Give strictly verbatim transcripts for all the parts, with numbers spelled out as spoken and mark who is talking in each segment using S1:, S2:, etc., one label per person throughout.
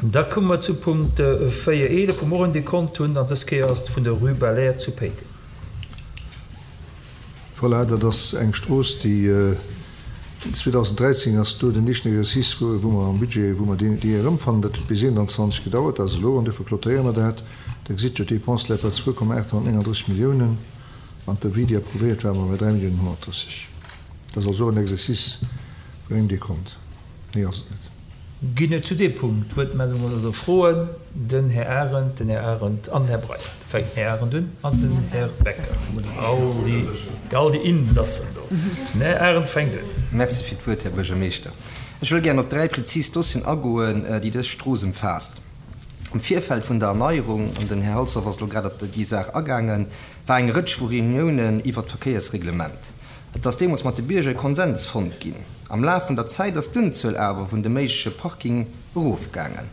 S1: Da komme mer zu Punkt véier eelef, wou mer och en Dekont hunn, an dës Kéier ass et vun der Rue Belair zu Péiteng.
S2: Voilà, dat ass eng Strooss, déi zweedausenddräizéng ass do den éischten Exercice, wou mer am Budget, wou mer déi erëmfannen. Dat huet bis eenanzwanzeg gedauert, dat ass elo, an duerfir clôturéiere mer dat. Da gesitt Der, d'Dépense läit bei zwou Komma aathonnertnénganddrësseg Milliounen an d'Devis, déi approuvéiert war, war bei dräi Milliounen honnertdrësseg. Dat ass also och en Exercice vun engem Dekont. Méi ass et net.
S1: Ginn et zu deem Punkt Wuertmeldungen oder Froen? Den Här Arendt, den Här Arendt an den Här Breyer. Da fänkt den Här Arendt un an den Här Becker. All déi, all déi Insassen do. Den Här Arendt fänkt un.
S3: Merci fir d'Wuert, Här Buergermeeschter. Ech wëll gären op dräi prezis Dossieren agoen, déi dës Strooss ëmfaasst. Am Virfeld vun der Erneierung, an den Här Halsdorf ass elo grad op déi Saach agaangen, war eng Rëtsch vu Reuniounen iwwert d'Verkéiersreglement. Et ass deemools mat de Bierger e Konsens fonnt ginn. Am Laf vun der Zäit ass d'Unzuel awer vun de méigleche Parking erofgaangen.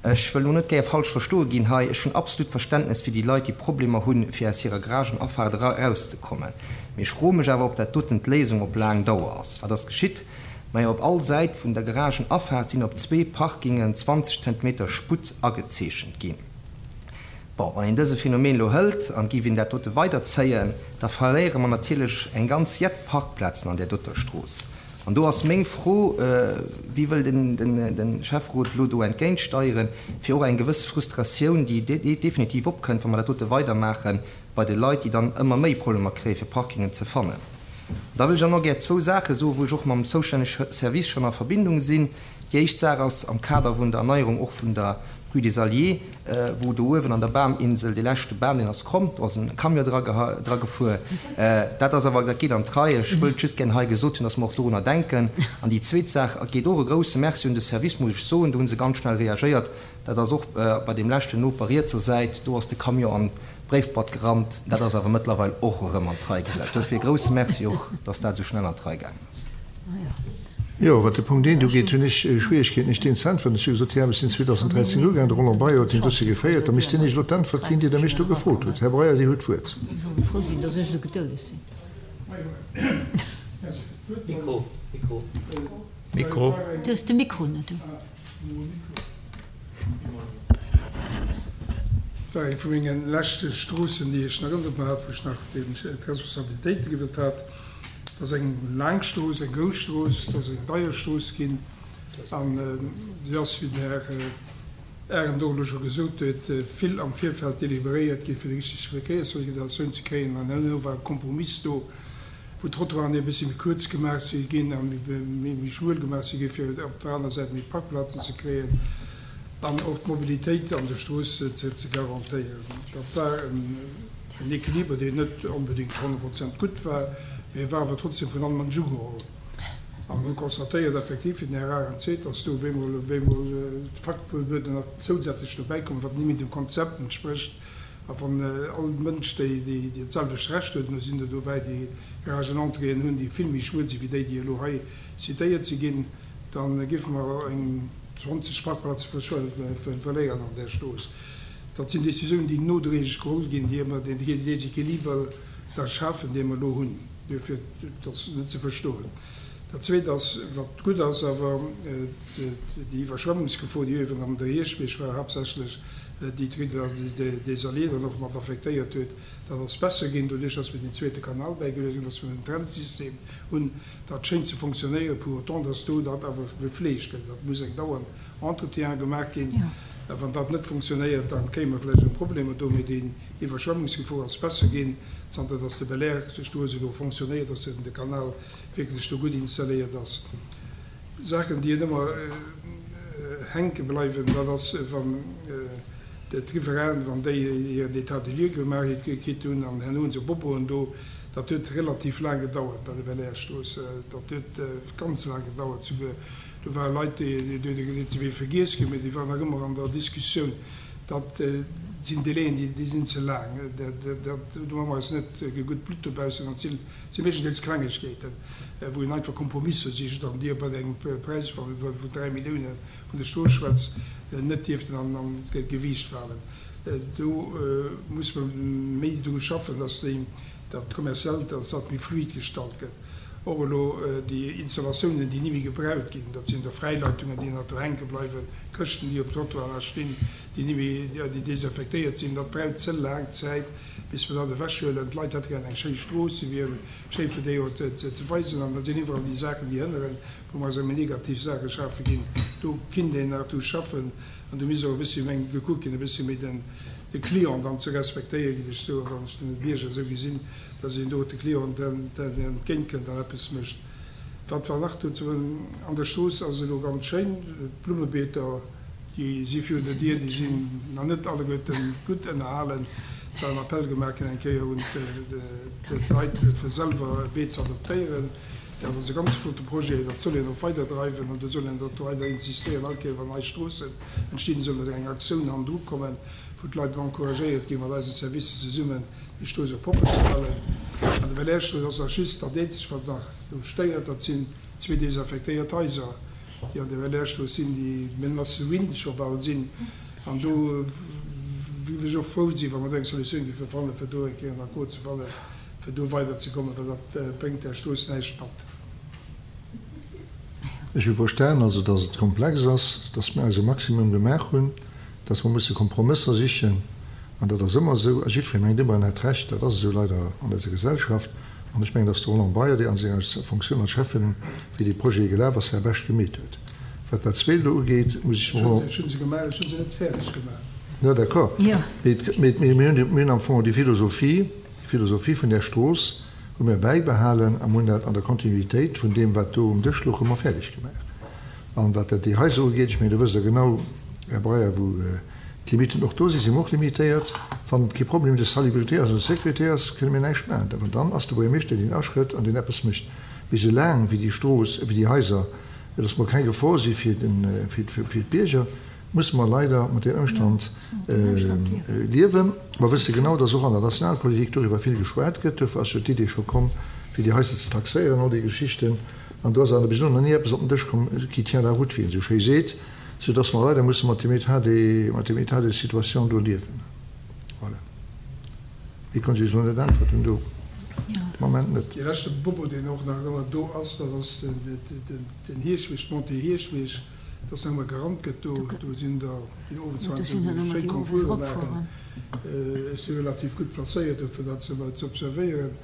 S3: Ech wëll elo net gäer falsch verstoe ginn hei, ech hunn absolut Verständnes fir déi Leit, déi Problemer hunn, fir aus hirer Garagenafaart erauszekommen. Mee ech froe mech awer, ob dat doten d'Léisung op laang Dauer ass. Wat ass geschitt? Majo, op all Säit vun der Garagenafaart sinn op zwee Parkingen zwanzeg Zentimeter Sputt agezeechent ginn. Bon, wann een dëse Phänomen elo hëlt an géif een dat dote weiderzéien, da verléiere mer natierlech eng ganz jett Parkplazen an där doter Strooss. An do ass meng Fro, Wéi wëll de Schäfferot elo do entgéintsteieren, fir och eng gewëss Frustratioun, déi definitiv opkënnt, wa mer dat dote weidermaachen, bei de Leit, déi dann ëmmer méi Problemer kréien, fir Parkingen ze fannen? An da wëll ech och nach gär zwou Saache soen, wou ech och mam zoustännege Service schonn a Verbindung sinn. Déi éischt Saach ass am Kader vun der Erneierung och vun der Rue des Alliés, wou do uewen an der Baminsel dee leschte Bam, deen ass kromm, do ass en Camion dra gefuer. Dat ass awer, dat geet an d'Rei. Ech wëllt just gär hei gesot hunn, dass mer och dorunner denken. An déi zweet Saach geet och e grouse Merci un de Service, muss ech soen, do hu se ganz schnell reagéiert. Dat ass och bei deem leschten Noper rietser Säit, do ass de Camion an d'Bréifboîte gerannt. Dat ass awer mëttlerweil och erëm an d'Rei gesat. Duerfir e grouse Merci och, dass dat esou schnell an d'Rei gaangen ass.
S2: Jo, wat de Punkt eent ugeet, hunn ech Schwierigkeeten, Iech deen ze äntweren. Ech hu gesot, déi Aarbecht sinn zweedausenddräizéng ugaangen, de Roland Breyer huet deen Dossier geféiert. Da misst deen Iech elo d'Äntwert ginn, déi Der mech do gefrot hutt. Här Breyer, Dir hutt d'Wuert.
S4: Et war eng vu menge leschte Stroossen, déi ech nach ënnert mer hat, wou ech nach d'Responsabilitéite gewëtt hat. Dat ass eng laang Strooss, eng grouss Strooss, dat ass eng deier Strooss ginn. An si ass, wéi den Här Arendt och elo scho gesot huet, vill am Virfeld deliberéiert ginn, fir déi richteg Verkéiersorganisatioun ze kréien. An herno war e Kompromiss do, wou d'Trottoiren e bëssi méi kuerz gemaach si ginn a méi schmuel gemaach si ginn, fir op der aner Säit méi Parkplazen ze kréien an och d'Mobilitéit an der Strooss ze garantéieren. Dat war en Equiliber, deen net onbedéngt honnert Prozent gutt war, mee e war awer trotzdem vun allem an ugeholl. A mir hu constatéiert effektiv, wéi den Här Arendt seet, dass do op eemol op eemol d'Faktuebuerden nach zousätzlech dobäikommen, wat net méi dem Konzept entsprécht. A wann all Mënsch déi dat selwecht Recht huet, an do sinn der dobäi, déi Garagenentréeën hunn, déi vill méi schmuel sinn, wéi déi, déi elo hei citéiert si ginn, da géife mer eng zwanzeg Parkplaze verléieren an där Strooss. Dat sinn Décisiounen, déi nodréiglech geholl ginn, déi ëmmer deen Déséquiliber da schafen, dee mer elo hunn. Duerfir, dat ass net ze verstoen. Dat Zweet ass, wat gutt ass awer, déi Iwwerschwemmungsgefor, déi uewen am der Hierschtbierg war haaptsächlech, déi d'Rue des Alliés dann och mat affektéiert huet, dat ass besser ginn, doduerch dass mir den zweete Kanal bäigeluecht hunn, dass mir en Trennsystem hunn. Dat schéngt ze fonctionnéieren, pour autant dass do dat awer gefleegt gëtt. Dat muss eng dauernd Entretien gemaach ginn. Wann dat net fonctionnéiert, da kréie mer vläicht erëm Problemer do. Mee déi Iwwerschwemmungsgefor ass besser ginn, zanter dass de Belair-Strooss elo fonctionnéiert, dass de Kanal wierklech do gutt installéiert ass. Saachen, déi ëmmer hänke bleiwen, dat ass, wann d'Riverainen, wann déi hiren État des lieux gemaach kritt hunn an herno hu se Boboen do. Dat huet relativ laang gedauert bei der Belair-Strooss. Dat huet ganz laang gedauert souguer. Do ware Leit, déi si wéi vergiess ginn, mee déi waren nach ëmmer an der Diskussioun. Dat sinn Délaiën, déi sinn ze laang. Dat, do hu mer eis net gutt Blutt dobaussen. Dat si meeschtendeels Klengegkeeten, wou een einfach Kompromisser sicht an déi bei engem Präis vun dräi Millioune vun der Strooss schwätzt, net dierften an d'Gewiicht falen. Do muss mer méi dru schaffen, dass déi, dat Kommerziellt, dass dat méi fluid gestalt gëtt. Och elo déi Installatiounen, déi ni méi gebraucht ginn, dat sinn da Fräileitungen, déi nach do hänke bleiwen, Këschten, déi um Trottoir nach stinn, déi ni méi, déi desinfektéiert sinn. Dat braucht ze laang Zäit, bis mer dat ewechhuelen. D'Leit hätte gären eng schéi Strooss, se wier schéi fir déi och ze weisen. An da sinn iwwerall déi Saachen, déi hënneren, wou mer eis ëmmer negativ Saache schafe ginn. Do kinnt een nach dru schaffen an do misst och e bëssi méi gekuckt ginn, e bëssi méi den de Client dann ze respektéieren, géif ech soen, wann ech den Bierger esou gesinn, dass een do de Client entgéintkënnt an eppes mécht. Wat war nach do ze soen? An der Strooss ass elo ganz schéin, d'Blummebeeter, déi si virun der Dier, déi sinn nach net alleguerten gutt ënnerhalen. Et war en Appell gemaach ginn eng Kéier un d'Leit, fir selwer e Beet ze adoptéieren. Dat ass e ganz flotte Projet, dat soll een och weiderdreiwen an do soll een och weider insistéieren. All Kéier wann nei Stroossen entstinn, soll mat enger Aktioun hannendru kommen, wou d'Leit encouragéiert ginn, mat eisen Services zesummen déi Strooss och propper ze halen. An der Belair-Strooss ass nach just dat eenzegt, wat nach do stéiert, dat sinn zwee desinfektéiert Haiser, déi an der Belair-Strooss sinn, déi menace de ruine scho bal sinn. An do géif ech och frou sinn, wa mer do eng Solutioun géife fannen, fir do eng Kéier en Accord ze fannen, fir do weiderzekommen, well dat bréngt där Strooss näischt mat.
S2: Ech hu verstan, also, dass et komplex ass, dass mir eise Maximum gemaach hunn, dass mer musse Kompromësser sichen, an dat ass ëmmer esou, a jiddweree mengt ëmmer en hätt Recht, dat ass esou leider an eiser Gesellschaft, an ech mengen, dass de Roland Breyer, dee an senger Fonctioun als Schäffen, wéi dee Projet gelaf ass, säi Bescht gemeet huet. Wat dat Zweet elo ugeet, muss ech dem Roland.
S4: Ech hu se gemaach, ech hu se net fäerdeg gemaach.
S2: Jo, d'accord. Mee mir hunn am Fong déi Philosophie, déi Philosophie vun där Strooss hu mir bäibehalen a mir hunn dat an der Kontinuitéit vun deem, wat do um Dësch louch, hu mer fäerdeg gemaach. An wat dat déi Haiser ugeet, ech mengen, do wësst Der genau, Här Breyer, wou d'Limiten och do sinn, si mer och limitéiert. Wann et kee Problème de salubrité ass oder de sécurité ass, kënne mir näischt maachen. Awer dann ass de Buergermeeschter, deen aschrëtt an deen eppes mécht. Mee soulaang wéi déi Strooss, wéi déi Haiser, et ass mol keng Gefor si fir fir d'Bierger, musse mer leider mat deem Ëmstand liewen. Mer wësse genau, dass och an der Nationalpolitik doriwwer vill geschwat gëtt. Duerfir ass jo d'Idee scho komm, fir déi Haiser ze taxéieren, all déi Geschichten. An do ass awer bis elo nach ni eppes op den Dësch komm qui tient la route, wéi een esou schéi seet, soudass mer leider musse mat deem État de, mat deem État de situation do liewen. Voilà. Méi konnt ech Iech elo net äntwerten do de Moment net.
S4: Dee leschte Bobo, deen och nach ëmmer do ass, dat ass den Hierschweg, d'Montée Hierschweg, dass nach ëmmer gerannt gëtt do. Do sinn der, déi owends heiansdo déi schéi Concourse maachen. Ech si relativ gutt placéiert do, fir dat ze observéieren.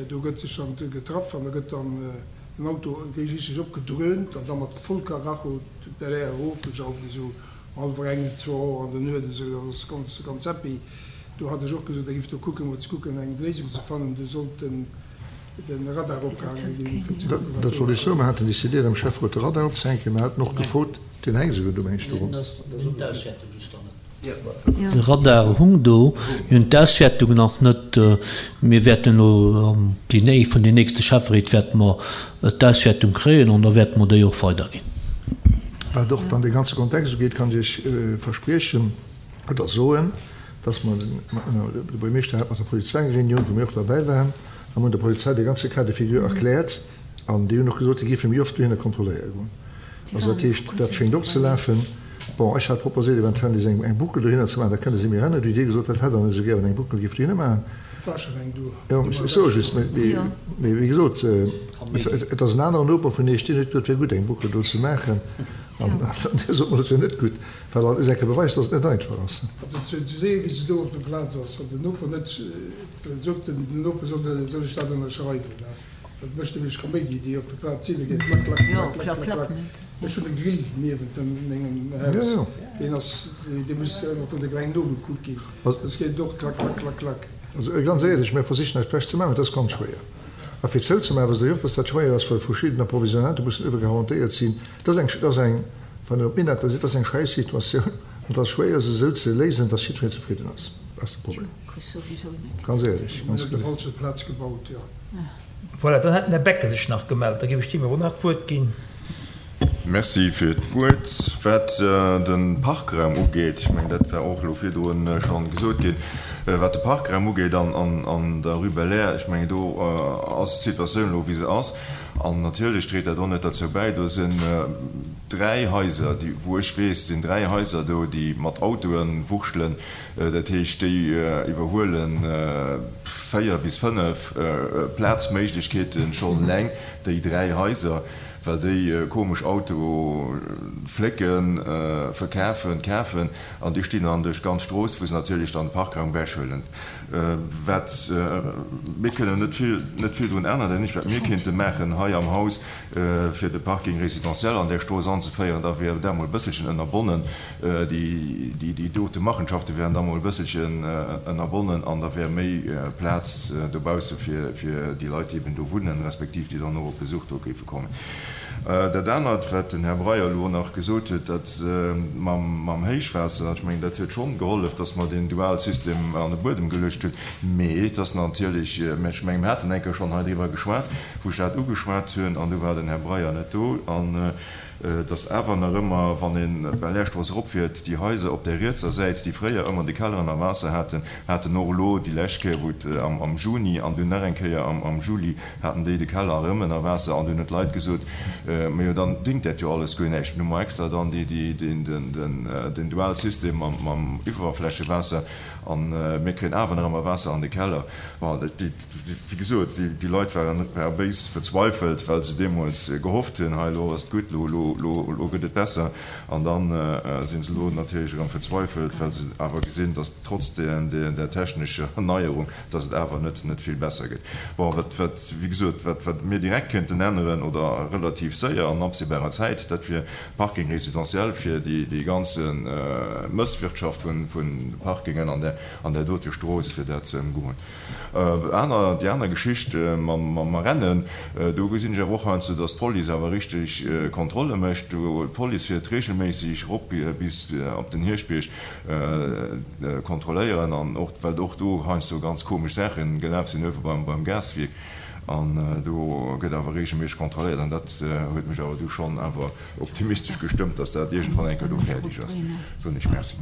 S4: Do gëtt sech dann getraff an da gëtt dann den Auto richteg opgedröhnt an da mat voll Karacho d'Belair erofgejauft, esou um hallwer eng, zwou Auer an der Nuet esou. Dat ass ganz, ganz happy. Do hat ech och gesot, da giff do kucken, mol ze kucken, eng Léisung ze fannen. Do sollt den Radar opgehaange ginn, fir ze kucken, wat
S2: Dat
S4: do
S2: wollt ech soen. Mer haten decidéiert am Schäfferot de Radar opzehänken. Mer haten och gefrot, deen hänkt esouguer do, meng ech, do ronn.
S1: De Radar hung do. Mir hunn d'Auswäertung nach net. Mir wäerten elo an déi vun den nächste Schäfferéit wäerte mer d'Auswäertung kréien an da wäerte mer déi och weiderginn.
S2: Wat och dann dee ganze Kontext ugeet, kann ech Iech verspriechen oder soen, dass mer, de Buergermeeschter hat mat der Polizei eng Reunioun, wou mir och derbäi waren, a mir hunn der Polizei dee ganze Cas de figure erkläert an déi hunn och gesot, si géife méi oft dohinner kontrolléiere goen. Also dat heescht, dat schéngt och ze lafen. Bon, ech hat proposéiert, eventuell nees eng Boucle dohinner ze maachen, da kënne si méi rennen. Du hutt Dir gesot, dat hätt Der net esou gär, wann eng Boucle géif dohinner maachen.
S4: Et war schonn eng do.
S2: Jo, ech soe just, mee wéi gesot, et ass en aneren Noper vun Iech, deen huet gesot, et wär gutt, eng Boucle do ze maachen. An Dir sot mer, dat wär net gutt, well dat ass enke Beweis, dass et net einfach ass.
S4: Also ze soen, wéi se do op der Plaz ass, wann den Noper net sot, den Noper soll ech dat ënnerschreiwen. Dat mécht nämlech Kaméidi, déi op der Plaz sinn, da geet et klack, klack, klack, klack, klack. Ech hunn e Grill niewent mengem Haus, deen ass, dee muss ëmmer vun der Gemeng nogekuckt ginn, soss geet et och klack, klack, klack, klack.
S2: Also ganz éierlech, mir versichen eist Bescht ze maachen, et ass ganz schwéier. A fir zouzemaachen, wësst Der jo och, dass dat schwéier ass, well verschidden Approvisionnementen mussen iwwer garantéiert sinn. Dat ass eng, dat ass eng, wann Der op Minetter sidd, dat ass eng Schäissituatioun an et ass schwéier, se esou ze léisen, dass jiddwereen zefridden ass. Dat ass de Problem, ganz éierlech, ganz kloer.
S1: Voilà, dann hätt den Här Becker sech nach gemellt. Da géif ech deem elo nach d'Wuert ginn.
S5: Merci fir d'Wuert. Wat de Parkraum ugeet, ech mengen, dat war och elo virdrun scho gesot ginn, wat de Parkraum ugeet an der Rue Belair, ech mengen, do ass d'Situatioun elo, wéi se ass. An natierlech dréit dat och net derzou bäi, do sinn dräi Haiser, déi, wou ech weess, sinn dräi Haiser do, déi mat Autoe wurschtelen. Dat heescht, déi iwwerhuele véier bis fënnef Plazméiglechkeete schonn eleng, déi dräi Haiser, well déi komesch Autoe flécken, verkafen, kafen, an déi stinn dann duerch d'ganz Strooss, wou se natierlech dann de Parkraum ewechhuelen. Wat, mir kënnen net vill, net vill drun änneren. Dat eenzegt, wat mir kéinte maachen hei am Haus, fir de Parking résidentiel an där Strooss anzeféieren, da wier dat emol e bësselchen ënnerbonnen, déi, déi dote Machenschafte wären da mol e bësselchen ënnerbonnen an da wär méi Plaz dobausse fir, fir déi Leit, déi eben do wunnen, respektiv déi dann och op Besuch do géife kommen. Dat anert, wat den Här Breyer elo nach gesot huet, dat mam Héichwaasser, ech mengen, dat huet schonn gehollef, dass mer deen Dualsystem an de Buedem geluecht hunn. Mee et ass natierlech, ech mengen, mir haten eng Kéier schonn hei driwwer geschwat, wou ech dat ugeschwat hunn, an du war den Här Breyer net do, an dass awer nach ëmmer, wann ee Belairstrooss eropfiert, déi Haiser op där rietser Säit, déi fréier ëmmer de Keller ënner Waasser haten, haten och elo déi lescht Kéier, wou et am Juni an dunn nach eng Kéier am Juli, haten déi de Keller erëm ënner Waasser. An dunn hunn d'Leit gesot, Majo, dann dingt dat jo alles guer näischt. Nun hu mer extra dann den Dualsystem mam Iwwerflächewaasser a mir kréien awer nach ëmmer Waasser an de Keller. Bon, wéi gesot, déi Leit ware béis verzweifelt, well se deemools gehofft hunn, hei elo ass et gutt, elo gëtt et besser. An da si se elo natierlech erëm verzweifelt, well se awer gesinn, datt trotz där technescher Neierung, datt et awer net net vill besser gëtt. Bon, wat, wat, wéi gesot, wat, wat mir direkt kéinten änneren oder relativ séier an absehbarer Zäit, dat wier Parking résidentiel fir déi, déi ganze Mësswirtschaft vun, vun Parkingen an där, an där dote Strooss, fir dat ze ëmgoen. Aner, déi aner Geschicht mam, mam Rennen, do gesinn ech awer och heiansdo, datt d'Police awer richteg Kontrolle mécht. Do, d'Police fiert regelméisseg erop bis op den Hierschtbierg, kontrolléieren an och well och do heiansdo ganz komesch Saache gelaf sinn uewe beim beim Gaswierk an do gëtt awer regelméisseg kontrolléiert an dat huet mech awer du schonn awer optimistesch gestëmmt, dass dat iergendwann eng Kéier do fäerdeg ass. Soen ech Merci.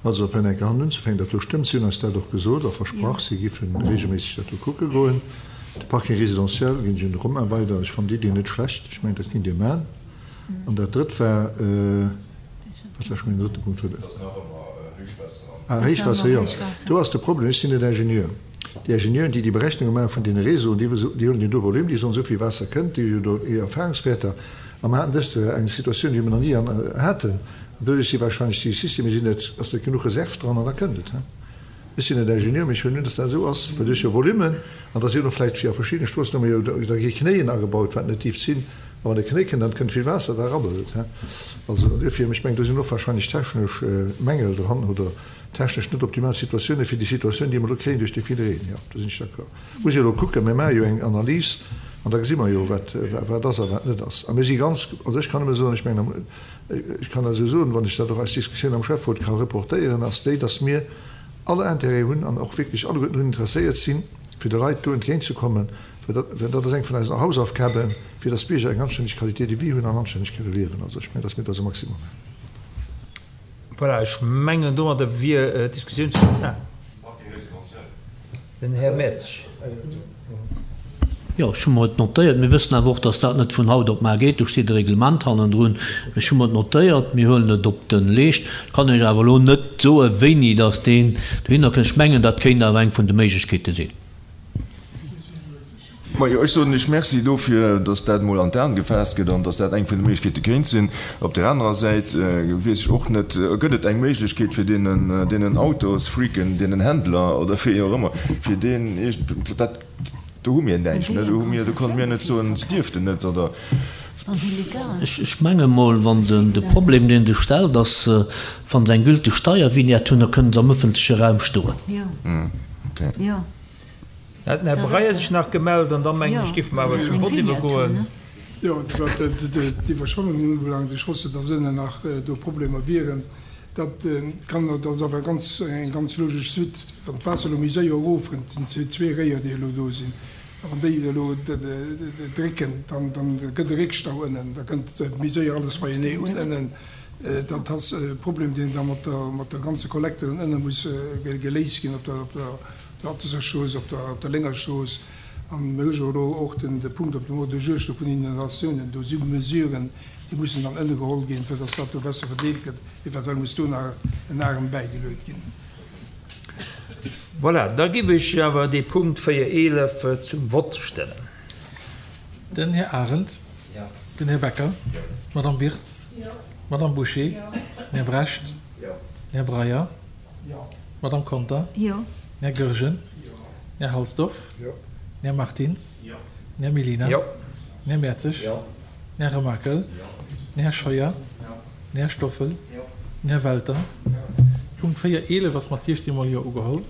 S2: Also fir eng Kéier hannen unzefänken, dat do stëmmt, si hunn eis dat och gesot a versprach, si géife regelméisseg dat do kucke goen. De Parking résidentiel ginn ech un de Romain weider, ech fannen d'Iddi net schlecht, ech mengen dat kinnt Dir man. An dat drëtt war, wat war scho mäin drëtte Punkt? Ah, Héichwaasser, jo. Do ass de Problem, ech sinn net Ingenieur. Déi Ingenieuren, déi déi Berechnunge maache vun deene Réseauen, déi déi huelen jo do Volume, déi soen, esou vill Waasser kënnt, déi hu jo do hir Erfahrungswäerter. A mer haten dëst Joer eng Situatioun, déi mer nach ni haten. An doduerch si wahrscheinlech déi Systemer sinn net, ass net genuch Reserv dran an da kënnt et. Ech sinn net Ingenieur, mee ech huelen un, dass dat esou ass, well duerch jo Volumen, an da si jo nach vläicht fir a verschiddene Stroossen hu mer jo da gi Knéien agebaut, wat net dierft sinn. A wann e Knéi kënnt, dann kënnt vill Waasser, da rabbelt et. Also duerfir, ech mengen, do sinn och wahrscheinlech technesch Mängel dran oder technesch net optimal Situatiounen fir déi Situatioun, déi mer elo kréien duerch dee ville Reen. Jo, do sinn ech d'accord. Muss jo elo kucken, mir maache jo eng Analys an da gesi mer jo, wat wat ass a wat net ass. A mir si ganz, also ech kann nëmme soen, ech mengen, ech kann dat esou soen, wann ech dat och aus Diskussioun am Schäfferot ka reportéieren, ass déi, dass mir all Intérêt hunn an och wierklech alleguerten drun interesséiert sinn, fir de Leit do entgéintzekommen, well dat, well dat ass eng vun eisen Hausaufgaben, fir dass d'Bierger eng anstänneg Qualité de vie hunn an anstänneg kënne liewen. Also ech mengen, dass mir dat eise Maximum maachen.
S1: Voilà, ech mengen, domadder wier d'Diskussioun zu Enn. Den Här Mertsch.
S6: Jo, ech hu mer et notéiert. Mir wëssen awer och, dass dat net vun haut op mar geet. Do steet e Reglement hannendrun. Ech hu mer et notéiert. Mir huelen et op de Leescht. Ech kann Iech awer elo net soen, wéini dass deen dohinner kënnt. Ech mengen, dat kéint awer eng vun de Méiglechkeete sinn.
S5: Majo, ech soen lech Merci dofir, dass dat emol an d'An gefaasst gëtt an dass dat eng vun de Méiglechkeete kéint sinn. Op där anerer Säit weess ech och net, gëtt et eng Méiglechkeet fir deenen, deenen Autosfreaken, deenen Händler oder wéi och ëmmer, fir deen iergend, dat, do hu mir näischt, ne, do hu mir, do konnte mir net soen, se dierften net oder.
S6: Ech menge mol, wann se de Problem, deen sech stellt, ass, wa se eng gülteg Steiervignette hunn, da kënne se am ëffentleche Raum stoen.
S1: Da hat den Här Breyer sech nach gemellt an da mengen ech, géife mer awer zum Vott iwwergoen.
S4: Jo, wat d'Iwwerschwemmungen ubelaangt, ech wosst, datt ënnen nach do Problemer wieren. Dat kann, dat ass awer ganz, eng ganz logesch Suite. Wann d'Waasser elo méi séier erofrënnt, et sinn zwee Réier, déi elo do sinn, a wann déi elo drécken, dann, dann gëtt e Réckstau ënnen, da kënnt méi séier alles beienee un ënnen. Dat ass e Problem, deen da mat der, mat der ganze Kollekte dann ënne muss geléist ginn op der, op der, der Atteser Strooss, op der, op der Lénger Strooss. An mir hu jo elo och den de Punkt op dem Ordre du jour sto vun Inondatiounen. Do si Mesuren, déi mussen dann ënnergeholl ginn, fir dass dat do besser verdeelt gëtt. Eventuell muss do nach en Arem bäigeluet ginn.
S1: Voilà, da giff ech awer dee Punkt véier eelef zum Vott stellen.
S7: Den Här Arendt. Den Här Becker. D'Madame Wirtz. D'Madame Bouché. Den Här Brecht. Den Här Breyer. D'Madame Conter. Den Här Goergen. Den Här Halsdorf. Den Här Martins. Den Här Mellina. Den Här Mertzig. Den Här Remakel. Den Här Scheuer. Den Här Stoffel. Den Här Welter. Punkt véier eelef ass mat siechzehn mol Jo ugeholl.